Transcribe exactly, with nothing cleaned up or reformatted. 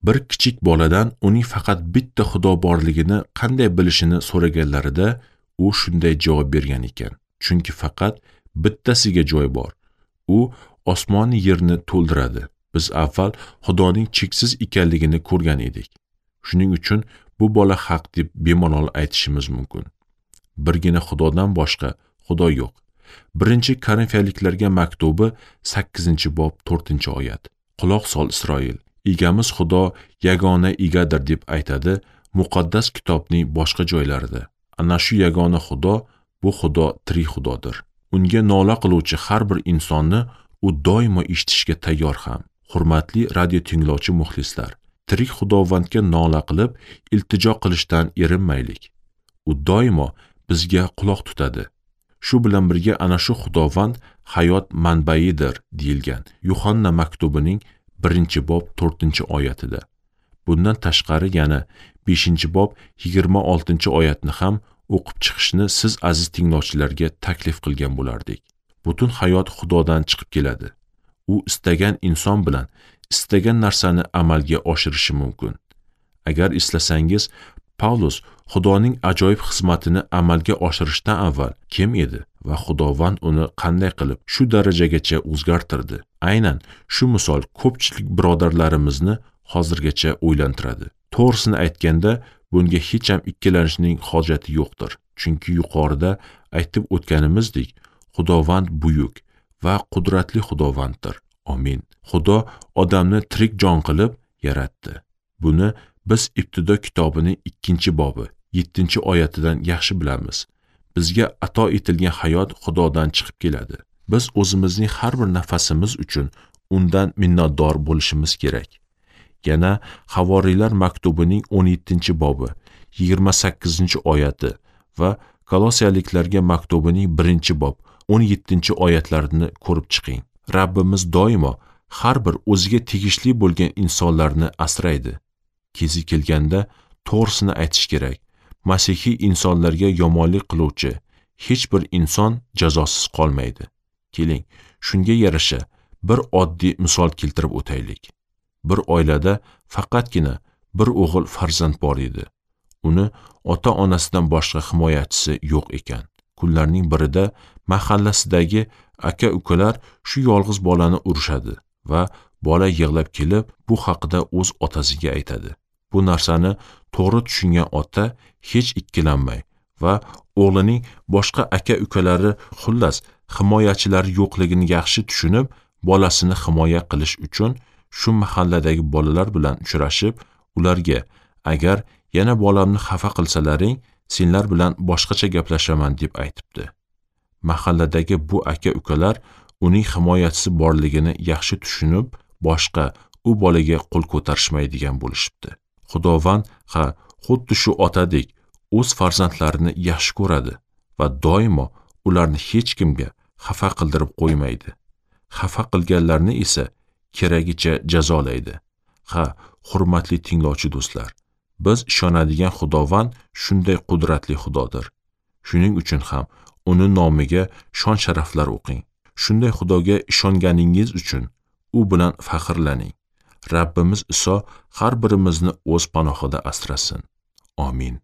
Bir kichik boladan uning faqat bitta Xudo borligini qanday bilishini so'raganlarida u shunday javob bergan ekan: chunki faqat bittasiga joy bor. U osmonni yerni to'ldiradi. Biz avval Xudoning cheksiz ekanligini ko'rgan edik. Shuning uchun bu bola haq deb bemalol aytishimiz mumkin. Birgina Xudodan boshqa Xudo yo'q. Birinchi Korinfiyaliklarga maktubi sakkizinchi bob to'rtinchi oyat. Quloq sol Isroil, egamiz Xudo yagona egadir deb aytadi muqaddas kitobning boshqa joylarida. Ana shu yagona Xudo, bu Xudo tirik Xudodir. Unga nola qiluvchi har bir insonni u doimo eshitishga tayyor ham. Hurmatli radio tinglovchi muxlislar, tirik Xudovandga nola qilib, iltijo qilishdan erinmaylik. U doimo bizga quloq tutadi. Shu bilan birga ana shu Xudovand hayot manbaidir deyilgan Yuhanna maktubining birinchi bob to'rtinchi oyatida. Bundan tashqari yana beshinchi bob yigirma oltinchi oyatni ham o'qib chiqishni siz aziz tinglovchilarga taklif qilgan bo'lardik. Butun hayot Xudodan chiqib keladi. U istagan inson bilan istagan narsani amalga oshirishi mumkin. Agar istasangiz, Pavlus Xudoning ajoyib xizmatini amalga oshirishdan avval kim edi va Xudovand uni qanday qilib shu darajagacha o'zgartirdi? Aynan shu misol ko'pchilik birodarlarimizni hozirgacha o'ylantiradi. To'g'risini aytganda, bunga hech ham ikkilanishning hojati yo'qdir. Chunki yuqorida aytib o'tganimizdek, Xudovand buyuk va qudratli Xudovanddir. Amin. Xudo odamni tirik jon qilib yaratdi. Buni biz Ibtido kitobining ikkinchi bobi yettinchi oyatidan yaxshi bilamiz. Bizga ato etilgan hayot Xudodan chiqib keladi. Biz o'zimizning har bir nafasimiz uchun undan minnatdor bo'lishimiz kerak. Yana Havoriylar maktubining o'n yettinchi bobi yigirma sakkizinchi oyati va Kolosiyaliklarga maktubining birinchi bob o'n yettinchi oyatlarini ko'rib chiqing. Rabbimiz doimo har bir o'ziga tegishli bo'lgan insonlarni asraydi. Kezi kelganda to'g'risini aytish kerak. Masihiy insonlarga yomonlik qiluvchi hech bir inson jazosiz qolmaydi. Keling, shunga yarasha bir oddiy misol keltirib o'taylik. Bir oilada faqatgina bir o'g'il farzand bor edi. Uni ota-onasidan boshqa himoyachisi yo'q ekan. Kunlarning birida mahallasidagi aka-ukalar shu yolg'iz bolani urishadi va bola yig'lab kelib bu haqida o'z otasiga aytadi. Bu narsani to'g'ri tushungan ota hech ikkilanmay va o'g'lining boshqa aka-ukalari, xullas himoyachilari yo'qligini yaxshi tushunib, bolasini himoya qilish uchun shu mahalladagi bolalar bilan uchrashib, ularga agar yana bolamni xafa qilsalaring, senlar bilan boshqacha gaplashaman deb aytibdi. Mahalladagi bu aka-ukalar uning himoyachisi borligini yaxshi tushunib, boshqa u bolaga qo'l ko'tarishmaydigan bo'lishibdi. Xudovand ha, xuddi shu otadek o'z farzandlarini yaxshi ko'radi va doimo ularni hech kimga xafa qildirib qo'ymaydi. Xafa qilganlarni esa keragicha jazolaydi. Ha, hurmatli tinglovchi do'stlar, biz ishonadigan Xudovand shunday qudratli Xudodir. Shuning uchun ham uni nomiga shon-sharaflar o'qing. Shunday Xudoga ishonganingiz uchun u bilan faxrlaning. Rabbimiz Iso har birimizni o'z panohida asrasin. Amin.